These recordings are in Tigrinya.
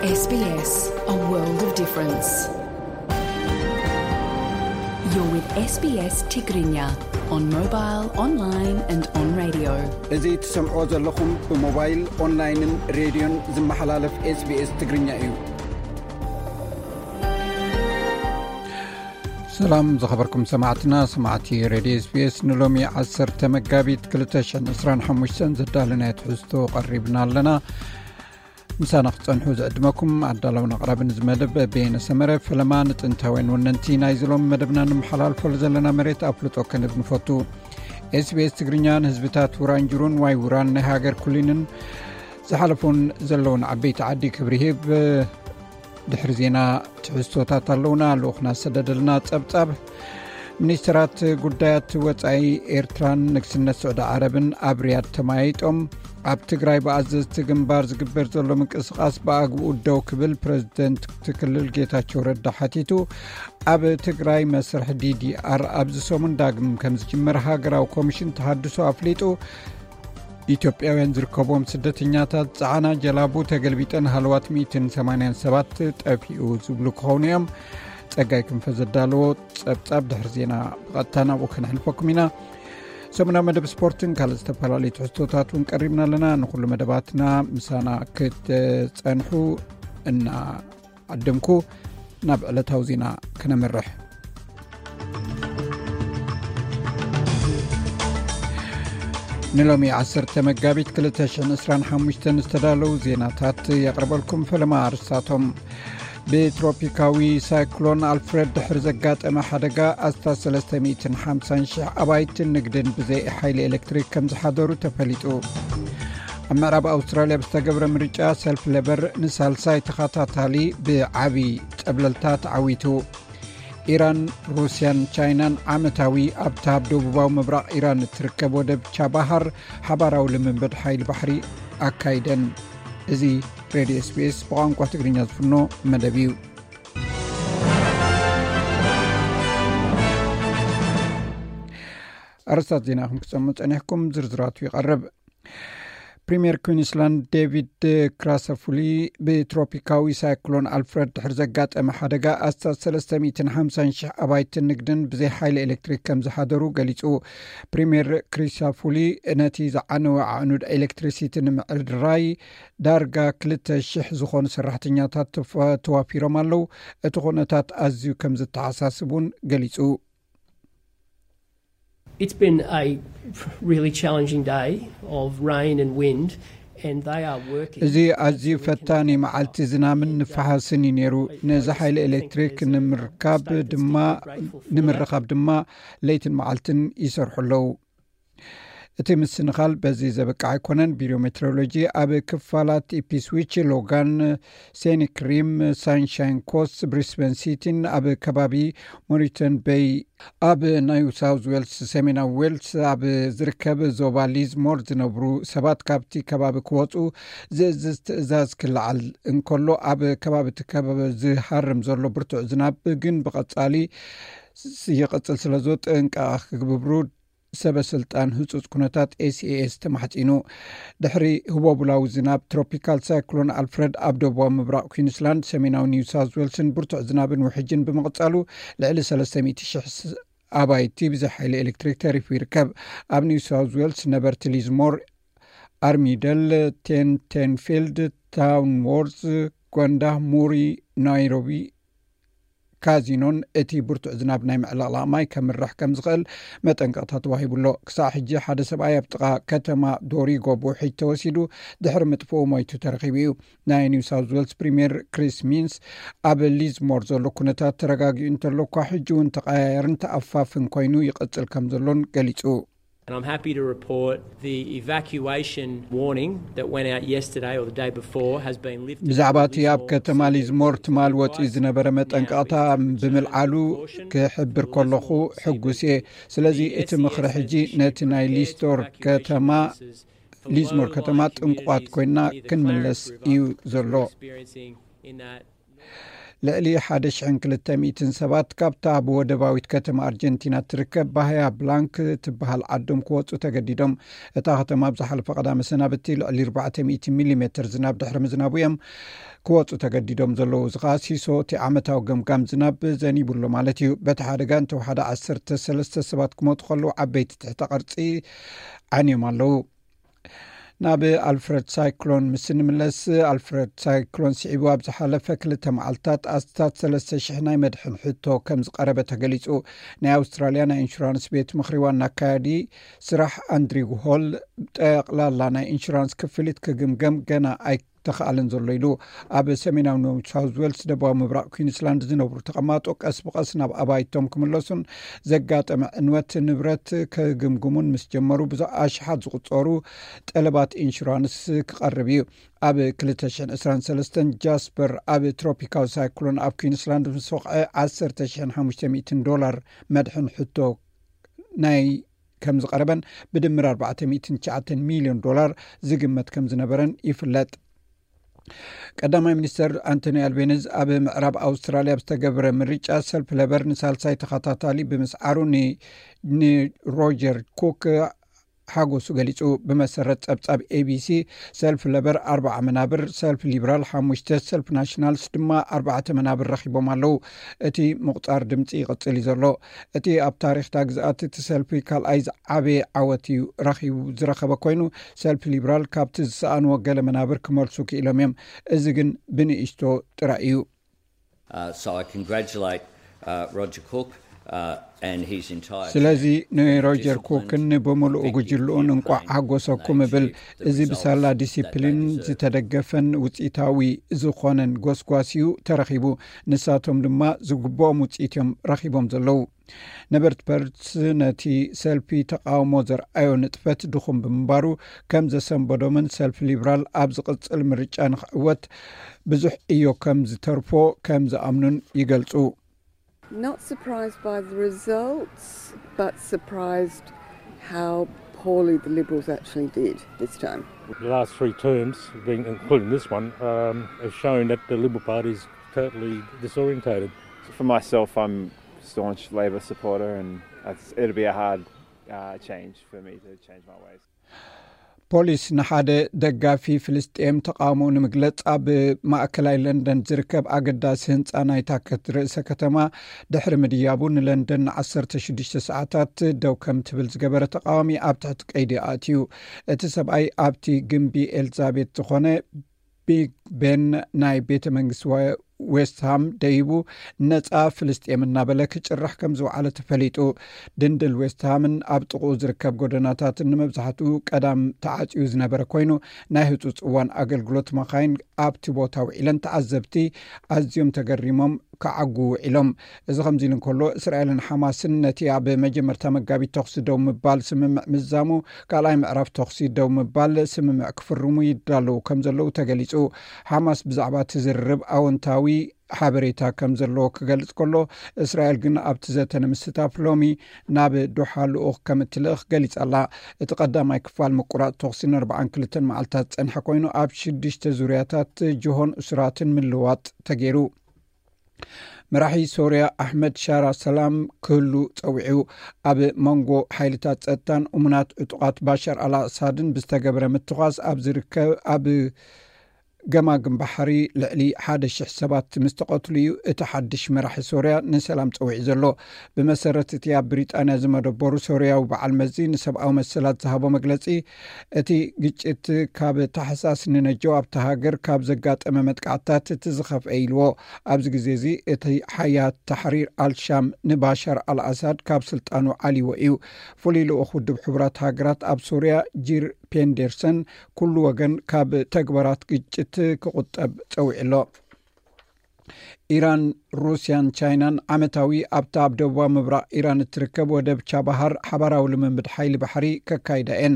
S B S, a world of difference. You're with S B S Tigrinya on mobile, online and on radio. እዚ ትሰምዕዎ ዘለኹም ብሞባይል፣ ኦንላይንን ሬድዮን ዝመሓላለፍ SBS ትግርኛ እዩ። ሰላም ዝኸበርኩም ሰማዕትና፣ ሰማዕቲ ሬድዮ SBS፣ ንሎሚ ዓሰርተ መጋቢት ክልተ ሽሕን ዕስራን ሓሙሽተን ዘዳለናዮ ትሕዝቶ ቀሪብና ኣለና። ምሳና ክትጸንሑ ዝዕድመኩም ኣዳለውን ኣቕራብን እዚ መደብ በየነ ሰመረ። ፈለማ ንጥንታውያን ወነንቲ ናይዚ ሎም መደብና ንመሓላልፈሉ ዘለና መሬት ኣፍልጦ ክንህብ ንፈቱ። SBS ትግርኛ ንህዝብታት ውራንጅሩን ዋይ ውራን ናይ ሃገር ኩሊንን ዝሓለፉን ዘለውን ዓበይቲ ዓዲ ክብሪ ሂብ። ድሕሪ ዜና ትሕዝቶታት ኣለውና። ልኡኽና ዝሰደደልና ጸብጻብ። ሚኒስትራት ጉዳያት ወጻኢ ኤርትራን ንግስነት ስዑዲ ዓረብን ኣብ ሪያድ ተመያይጦም። ኣብ ትግራይ ብኣዘዝቲ ግንባር ዝግበር ዘሎ ምንቅስቓስ ብኣግኡ ደው ክብል ፕረዚደንት እቲ ክልል ጌታቸው ረዳ ሓቲቱ። ኣብ ትግራይ መስርሕ ዲዲኣር ኣብዚ ሰሙን ዳግም ከም ዝጅመር ሃገራዊ ኮሚሽን ተሃድሶ ኣፍሊጡ። ኢትዮጵያውያን ዝርከቦም ስደተኛታት ጸዓና ጀላቡ ተገልቢጠን ሃለዋት ሚእትን ሰማንያን ሰባት ጠፊኡ ዝብሉ ክኾኑ እዮም። ጸጋይ ክንፈ ዘዳለዎ ጸብጻብ ድሕሪ ዜና ብቐጥታ ናብኡ ከነሕልፈኩም ኢና። ሰሙናዊ መደብ ስፖርትን ካልእ ዝተፈላለዩ ትሕዝቶታት እውን ቀሪብና ኣለና። ንኹሉ መደባትና ምሳና ክትጸንሑ እና ዓደምኩ። ናብ ዕለታዊ ዜና ክነምርሕ። ንሎሚ ዓሰርተ መጋቢት ክልተ ሽሕን ዕስራን ሓሙሽተን ዝተዳለዉ ዜናታት የቕርበልኩም። ፈለማ ኣርስታቶም። ብትሮፒካዊ ሳይክሎን ኣልፍረድ ድሕሪ ዘጋጠመ ሓደጋ ኣስታት ሰለስተ ሚእትን ሓምሳን ሽሕ ኣባይትን ንግድን ብዘይ ሓይሊ ኤሌክትሪክ ከም ዝሓደሩ ተፈሊጡ። ኣብ ምዕራብ ኣውስትራልያ ብዝተገብረ ምርጫ ሰልፍ ለበር ንሳልሳይ ተኸታታሊ ብዓቢ ጸብለልታ ተዓዊቱ። ኢራን፣ ሩስያን ቻይናን ዓመታዊ ኣብታ ኣብ ደቡባዊ ምብራቕ ኢራን እትርከብ ወደብ ቻባሃር ሓባራዊ ልምምድ ሓይሊ ባሕሪ ኣካይደን። እዚ ሬድዮ SBS ብቋንቋ ትግርኛ ዝፍኖ መደብ እዩ። ኣርስታት ዜና ከም ክትሰምዑ ጸኒሕኩም፣ ዝርዝራቱ ይቐርብ። ፕሪምየር ኩዊንስላንድ ዴቪድ ክራሰፉሊ ብትሮፒካዊ ሳይክሎን ኣልፍረድ ድሕሪ ዘጋጠመ ሓደጋ ኣስታት ሰለስተ ሚእትን ሓምሳን ሽሕ ኣባይትን ንግድን ብዘይ ሓይሊ ኤሌክትሪክ ከም ዝሓደሩ ገሊጹ። ፕሪምየር ክሪሳፉሊ ነቲ ዝዓነወ ኣዕኑድ ኤሌክትሪሲቲ ንምዕርራይ ዳርጋ ክልተ ሽሕ ዝኾኑ ሰራሕተኛታት ተፈ-፣ ተዋፊሮም ኣለዉ። እቲ ኩነታት ኣዝዩ ከም ዝተሓሳስብ እውን ገሊጹ። It's been a really challenging day of rain and wind, and they are working እዚ ኣዝዩ ፈታኒ መዓልቲ ዝናምን ንፋሓስን እዩ ነይሩ። ነዚ ሓይሊ ኤሌክትሪክ ንምርካብ ድማ ንምርኻብ ድማ ለይትን መዓልትን ይሰርሑ ኣለዉ። እቲ ምስንኻል በዚ ዘበቃ ኣይኮነን። ቢሮ ሜትሮሎጂ ኣብ ክፋላት ኢፕስዊች፣ ሎጋን፣ ሴኒክ ሪም፣ ሳንሻይን ኮስት፣ ብሪስበን ሲቲን ኣብ ከባቢ ሞሪተን ቤይ፣ ኣብ ኒው ሳውዝ ዌልስ፣ ሰሜናዊ ዌልስ ኣብ ዝርከብ ዞባ ሊዝሞር ዝነብሩ ሰባት ካብቲ ከባቢ ክወጹ ዝእዝዝ ትእዛዝ ክለዓል እንከሎ፣ ኣብ ከባቢ እቲ ከባቢ ዝሃርም ዘሎ ብርቱዕ ዝናብ ግን ብቐጻሊ ይቕጽል ስለ ዘሎ ጥንቃቐ ክግብሩ ሰበ ስልጣን ህጹጽ ኩነታት ኤስኤኤስ ተማሕጺኑ። ድሕሪ ህቦቡላዊ ዝናብ ትሮፒካል ሳይክሎን ኣልፍረድ ኣብ ደቡባዊ ምብራቕ ኩዊንስላንድ፣ ሰሜናዊ ኒው ሳውዝ ዌልስን ብርቱዕ ዝናብን ውሕጅን ብምቕጻሉ፣ ልዕሊ ሰለስተ ሚእቲ ሽሕ ስ-፣ ኣባይቲ ብዘይ ሓይሊ ኤሌክትሪክ ተሪፉ ይርከብ። ኣብ ኒው ሳውዝ ዌልስ ነበርቲ ሊዝሞር፣ ኣርሚደል፣ ቴንቴንፊልድ፣ ታውንዎርዝ፣ ጎንዳ፣ ሙሪ፣ ናይሮቢ፣ ካዚኖን እቲ ብርቱዕ ዝናብ ናይ ምዕልቕላቕ ማይ ከምርሕ ከም ዝኽእል መጠንቀቕታ ተዋሂቡ ኣሎ። ክሳዕ ሕጂ ሓደ ሰብኣይ ኣብ ጥቓ ከተማ ዶሪጎ ብውሕጅ ተወሲዱ ድሕሪ ምጥፍኡ ሞይቱ ተረኺቡ እዩ። ናይ ኒው ሳውዝ ዌልስ ፕሪምየር ክሪስ ሚንስ፣ ኣብ ሊዝሞር ዘሎ ኩነታት ተረጋጊኡ እንተሎ እኳ፣ ሕጂ እውን ተቐያየርን ተኣፋፍን ኮይኑ ይቕጽል ከም ዘሎን ገሊጹ። And I'm happy to report the evacuation warning that went out yesterday or the day before has been lifted. ብዛዕባ እቲ ኣብ ከተማ ሊዝሞር ትማል ወጺኡ ዝነበረ መጠንቀቕታ ብምልዓሉ ክሕብር ከለኹ ሕጉስ እየ። ስለዚ እቲ ምኽሪ ሕጂ ነቲ ናይ ሊስቶር ከተማ፣ ሊዝሞር ከተማ ጥንቁቓት ኮይና ክንምለስ እዩ ዘሎ። ልዕሊ ሓደ ሽሕን ክልተ ሚእትን ሰባት ካብታ ብወደባዊት ከተማ ኣርጀንቲና ትርከብ ባህያ ብላንክ ትበሃል ዓዶም ክወፁ ተገዲዶም። እታ ከተማ ኣብ ዝሓለፈ ቀዳመ ሰናብቲ ልዕሊ ኣርባዕተ ሚእቲ ሚሊሜትር ዝናብ ድሕሪ ምዝናቡ እዮም ክወፁ ተገዲዶም ዘለዉ። እዚ ከዓ ሲሶ እቲ ዓመታዊ ገምጋም ዝናብ ዘኒቡሎ ማለት እዩ። በቲ ሓደጋ እንተወሓደ ዓሰርተ ሰለስተ ሰባት ክሞቱ ከለዉ ዓበይቲ ትሕተ ቅርፂ ዓንዮም ኣለዉ። ናብ ኣልፍረድ ሳይክሎን ምስ እንምለስ፣ ኣልፍረድ ሳይክሎን ስዒቡ ኣብ ዝሓለፈ ክልተ መዓልትታት ኣስታት ሰለስተ ሽሕ ናይ መድሕን ሕቶ ከም ዝቐረበ ተገሊጹ። ናይ ኣውስትራልያ ናይ ኢንሹራንስ ቤት ምኽሪ ዋና ኣካያዲ ስራሕ ኣንድሪው ሆል፣ ጠቕላላ ናይ ኢንሹራንስ ክፍሊት ክግምገም ገና ኣይተኻእለን ዘሎ ኢሉ። ኣብ ሰሜናዊ ኒው ሳውዝ ዌልስ፣ ደቡባዊ ምብራቕ ኩዊንስላንድ ዝነብሩ ተቐማጦ ቀስ ብቐስ ናብ ኣባይቶም ክምለሱን ዘጋጠመ ዕንወት ንብረት ክግምግሙን ምስ ጀመሩ፣ ብዙሕ ኣሽሓት ዝቑጸሩ ጠለባት ኢንሹራንስ ክቐርብ እዩ። ኣብ ክልተ ሽሕን ዕስራን ሰለስተን ጃስፐር ኣብ ትሮፒካዊ ሳይክሎን ኣብ ኩዊንስላንድ ምስ ወቕዐ፣ ዓሰርተ ሽሕን ሓሙሽተ ሚእትን ዶላር መድሕን ሕቶ ናይ ከም ዝቐረበን ብድምር ኣርባዕተ ሚእትን ትሽዓተን ሚልዮን ዶላር ዝግመት ከም ዝነበረን ይፍለጥ። ቀዳማይ ሚኒስተር ኣንቶኒ ኣልቤኒዝ ኣብ ምዕራብ ኣውስትራልያ ኣብ ዝተገብረ ምርጫ ሰልፊ ለበር ንሳልሳይ ተኸታታሊ ብምስዓሩ ን-፣ ንሮጀር ኩክ ሓጎሱ ገሊጹ። ብመሰረት ጸብጻብ ኤቢሲ፣ ሰልፊ ለበር ኣርባዓ መናብር፣ ሰልፊ ሊብራል ሓሙሽተ፣ ሰልፊ ናሽናልስ ድማ ኣርባዕተ መናብር ረኺቦም ኣለዉ። እቲ ምቑጻር ድምጺ ይቕጽል እዩ ዘሎ። እቲ ኣብ ታሪኽታ ግዝኣት እቲ ሰልፊ ካልኣይ ዝዓበየ ዓወት እዩ ረኺቡ፣ ዝረኸበ ኮይኑ፣ ሰልፊ ሊብራል ካብቲ ዝሰኣንዎ ገለ መናብር ክመልሱ ክኢሎም እዮም። እዚ ግን ብንእሽቶ ጥራይ እዩ። Uh, so I congratulate uh, Roger Cook uh, and his entire ስለዚ ንሮጀር ኩክን ብምሉእ ጉጅልኡን እንቋዕ ሓጎሰኩም እብል። እዚ ብሳላ ዲሲፕሊን ዝተደገፈን ውፅኢታዊ ዝኾነን ጎስጓስ እዩ ተረኺቡ። ንሳቶም ድማ ዝግብኦም ውፅኢት እዮም ረኺቦም ዘለዉ። ነበርቲ ፐርስ ነቲ ሰልፊ ተቃውሞ ዘርኣዮ ንጥፈት ድኹም ብምንባሩ ከም ዘሰንበዶምን ሰልፊ ሊብራል ኣብ ዝቕጽል ምርጫ ንኽዕወት ብዙሕ እዮ ከም ዝተርፎ ከም ዝኣምኑን ይገልጹ። Not surprised by the results, but surprised how poorly the Liberals actually did this time. The last three terms, being, including this one, um, have shown that the Liberal Party is totally disorientated. For myself, I'm a staunch Labor supporter, and it's, it'll be a hard uh, change for me to change my ways. ፖሊስ ንሓደ ደጋፊ ፍልስጤም ተቃውሞኡ ንምግለጽ ኣብ ማእከላይ ለንደን ዝርከብ ኣገዳሲ ህንጻ ናይታ ከት-፣ ርእሰ ከተማ ድሕሪ ምድያቡ፣ ንለንደን ንዓሰርተ ሽዱሽተ ሰዓታት ደው ከም ትብል ዝገበረ ተቃዋሚ ኣብ ትሕቲ ቀይዲ ኣእትዩ። እቲ ሰብኣይ ኣብቲ ግምቢ ኤልዛቤት ዝኾነ ቢግ ቤን ናይ ቤተ መንግስቲ ወ-፣ ዌስትሃም ደይቡ ነጻ ፍልስጤም እናበለ ክጭርሕ ከም ዝወዓለ ተፈሊጡ። ድንድል ዌስትሃምን ኣብ ጥቕኡ ዝርከብ ጎደናታትን ንመብዛሕትኡ ቀዳም ተዓጽዩ ዝነበረ ኮይኑ፣ ናይ ህጹጽ እዋን ኣገልግሎት መኻይን ኣብቲ ቦታ ውዒለን ተዓዘብቲ ኣዝዮም ተገሪሞም ክዓጉ ውዒሎም። እዚ ከምዚ ኢሉ እንከሎ፣ እስራኤልን ሓማስን ነቲ ኣብ መጀመርታ መጋቢት ተኹሲ ደው ምባል ስምምዕ ምዛሙ፣ ካልኣይ ምዕራፍ ተኹሲ ደው ምባል ስምምዕ ክፍርሙ ይዳለዉ ከም ዘለዉ ተገሊጹ። ሓማስ ብዛዕባ እቲ ዝርርብ ኣወንታዊ ሓበሬታ ከም ዘለዎ ክገልጽ ከሎ፣ እስራኤል ግን ኣብቲ ዘተ ንምስታፍ ሎሚ ናብ ዶሓ ልኡኽ ከም እትልእኽ ገሊጻ ኣላ። እቲ ቀዳማይ ክፋል ምቁራጽ ተኹሲ ንኣርባዓን ክልተን መዓልታት ዝጸንሐ ኮይኑ፣ ኣብ ሽዱሽተ ዙርያታት ጅሆን እሱራትን ምልዋጥ ተገይሩ። መራሒ ሶርያ ኣሕመድ ሻራ ሰላም ክህሉ ጸዊዑ። ኣብ መንጎ ሓይልታት ጸጥታን እሙናት ዕጡቓት ባሻር ኣልኣሳድን ብዝተገበረ ምትኳስ ኣብ ዝርከብ፣ ኣብ ገማግም ባሕሪ ልዕሊ ሓደ ሽሕ ሰባት ምስ ተቐትሉ እዩ እቲ ሓድሽ መራሒ ሶርያ ንሰላም ጸዊዑ ዘሎ። ብመሰረት እቲ ኣብ ብሪጣንያ ዝመደበሩ ሶርያዊ በዓል መዚ ንሰብኣዊ መሰላት ዝሃቦ መግለጺ፣ እቲ ግጭት ካብ ታሕሳስ ንነጀው ኣብታ ሃገር ካብ ዘጋጠመ መጥቃዕትታት እቲ ዝኸፍአ ኢልዎ። ኣብዚ ግዜ እዚ እቲ ሓያት ታሕሪር ኣልሻም ንባሻር ኣልኣሳድ ካብ ስልጣኑ ዓልዎ እዩ። ፍሉይ ልኡኽ ውድብ ሕቡራት ሃገራት ኣብ ሶርያ ጂር ፔንደርሰን ኩሉ ወገን ካብ ተግባራት ግጭት ክቑጠብ ጸዊዑ ኣሎ። ኢራን፣ ሩስያን ቻይናን ዓመታዊ ኣብታ ኣብ ደቡባዊ ምብራቕ ኢራን እትርከብ ወደብ ቻባሃር ሓባራዊ ልምምድ ሓይሊ ባሕሪ ከካይዳ እየን።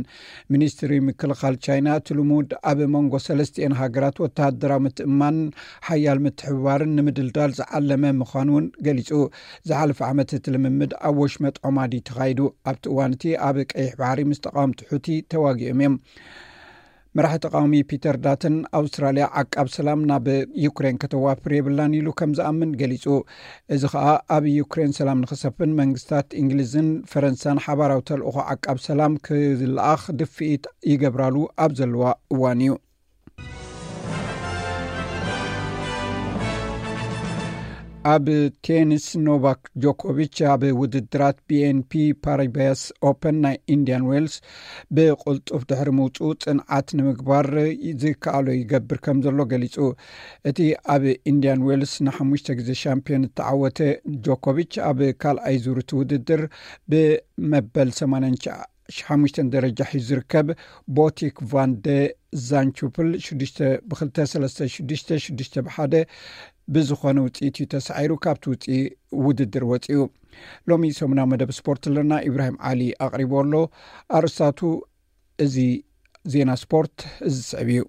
ሚኒስትሪ ምክልኻል ቻይና፣ እቲ ልሙድ ኣብ መንጎ ሰለስቲኤን ሃገራት ወተሃደራዊ ምትእምማንን ሓያል ምትሕብባርን ንምድልዳል ዝዓለመ ምዃኑ እውን ገሊጹ። ዝሓለፈ ዓመት እቲ ልምምድ ኣብ ወሽመጥ ዖማዲ ተኻይዱ። ኣብቲ እዋን እቲ ኣብ ቀይሕ ባሕሪ ምስ ተቓወምቲ ሑቲ ተዋጊኦም እዮም። መራሒ ተቃዋሚ ፒተር ዳተን ኣውስትራልያ ዓቃብ ሰላም ናብ ዩክሬን ከተዋፍር የብላን ኢሉ ከም ዝኣምን ገሊጹ። እዚ ከኣ ኣብ ዩክሬን ሰላም ንኽሰፍን መንግስታት እንግሊዝን ፈረንሳን ሓባራዊ ተልእኾ ዓቃብ ሰላም ክልኣኽ ድፍኢት ይገብራሉ ኣብ ዘለዋ እዋን እዩ። ኣብ ቴኒስ ኖቫክ ጆኮቪች ኣብ ውድድራት ቢኤንፒ ፓሪባስ ኦፐን ናይ ኢንዲያን ዌልስ ብቕልጡፍ ድሕሪ ምውፅኡ ፅንዓት ንምግባር ዝከኣሎ ይገብር ከም ዘሎ ገሊፁ። እቲ ኣብ ኢንዲያን ዌልስ ንሓሙሽተ ግዜ ሻምፒዮን እተዓወተ ጆኮቪች ኣብ ካልኣይ ዙር እቲ ውድድር ብመበል ሰማንያን ሓሙሽተን ደረጃ ሒዙ ዝርከብ ቦቲክ ቫንደ ዛንቹፕል ሽዱሽተ ብክልተ፣ ሰለስተ፣ ሽዱሽተ፣ ሽዱሽተ ብሓደ ብዝኾነ ውፅኢት እዩ ተሳዒሩ ካብቲ ውፅኢ ውድድር ወፂኡ። ሎሚ ሰሙናዊ መደብ ስፖርት ኣለና። ኢብራሂም ዓሊ ኣቕሪቦ ኣሎ። ኣርእስታቱ እዚ ዜና ስፖርት እዚ ዝስዕብ እዩ።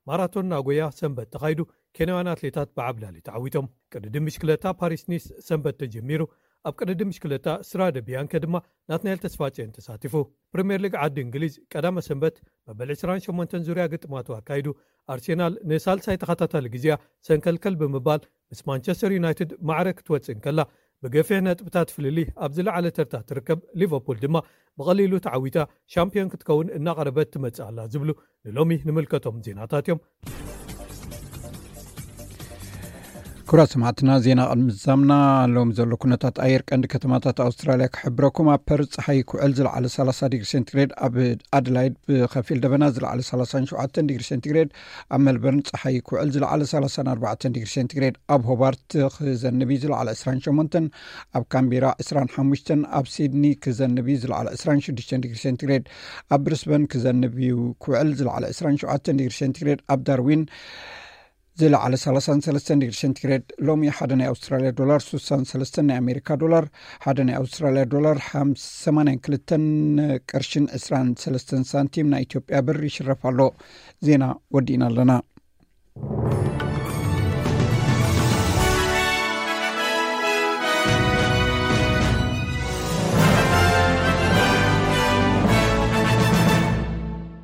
ማራቶን ናጎያ ሰንበት ተኻይዱ፣ ኬንያውያን ኣትሌታት ብዓብላሊ ተዓዊቶም። ቅድድም ብሽክለታ ፓሪስ ኒስ ሰንበት ተጀሚሩ። ኣብ ቅድድም ብሽክለታ ስራደ ቢያንከ ድማ ናትናኤል ተስፋጽዮን ተሳቲፉ። ፕሪምየር ሊግ ዓዲ እንግሊዝ ቀዳመ ሰንበት መበል ዕስራን ሸሞንተን ዙርያ ግጥማቱ ኣካይዱ። ኣርሴናል ንሳልሳይ ተኸታታሊ ግዜያ ሰንከልከል ብምባል ምስ ማንቸስተር ዩናይትድ ማዕረ ክትወጽእ እንከላ፣ ብገፊሕ ነጥብታት ፍልልይ ኣብ ዝለዓለ ተርታ ትርከብ ሊቨርፑል ድማ ብቐሊሉ ተዓዊታ ሻምፒዮን ክትከውን እናቐረበት ትመጽእ ኣላ ዝብሉ ንሎሚ ንምልከቶም ዜናታት እዮም። ክቡራት ሰማዕትና፣ ዜና ቅድሚ ምዛምና ሎም ዘሎ ኩነታት ኣየር ቀንዲ ከተማታት ኣውስትራልያ ክሕብረኩም። ኣብ ፐርዝ ፀሓይ ክውዕል ዝለዓለ ሰላሳ ዲግሪ ሴንቲግሬድ፣ ኣብ ኣደላይድ ብከፊል ደበና ዝለዓለ ሰላሳን ሸውዓተን ዲግሪ ሴንቲግሬድ፣ ኣብ ሜልበርን ፀሓይ ክውዕል ዝለዓለ ሰላሳን ኣርባዕተን ዲግሪ ሴንቲግሬድ፣ ኣብ ሆባርት ክዘንብ እዩ ዝለዓለ ዕስራን ሸሞንተን፣ ኣብ ካምቢራ ዕስራን ሓሙሽተን፣ ኣብ ሲድኒ ክዘንብ እዩ ዝለዓለ ዕስራን ሽዱሽተን ዲግሪ ሴንቲግሬድ፣ ኣብ ብሪስበን ክዘንብ እዩ ክውዕል ዝለዓለ ዕስራን ሸውዓተን ዲግሪ ሴንቲግሬድ፣ ኣብ ዳርዊን ዝለዓለ ሰላሳን ሰለስተን ዲግሪ ሴንቲግሬድ። ሎሚ ሓደ ናይ ኣውስትራልያ ዶላር ስሳን ሰለስተን ናይ ኣሜሪካ ዶላር፣ ሓደ ናይ ኣውስትራልያ ዶላር ሓምሳ ሰማንያን ክልተን ቅርሽን ዕስራን ሰለስተን ሳንቲም ናይ ኢትዮጵያ ብር ይሽረፍ ኣሎ። ዜና ወዲእና ኣለና።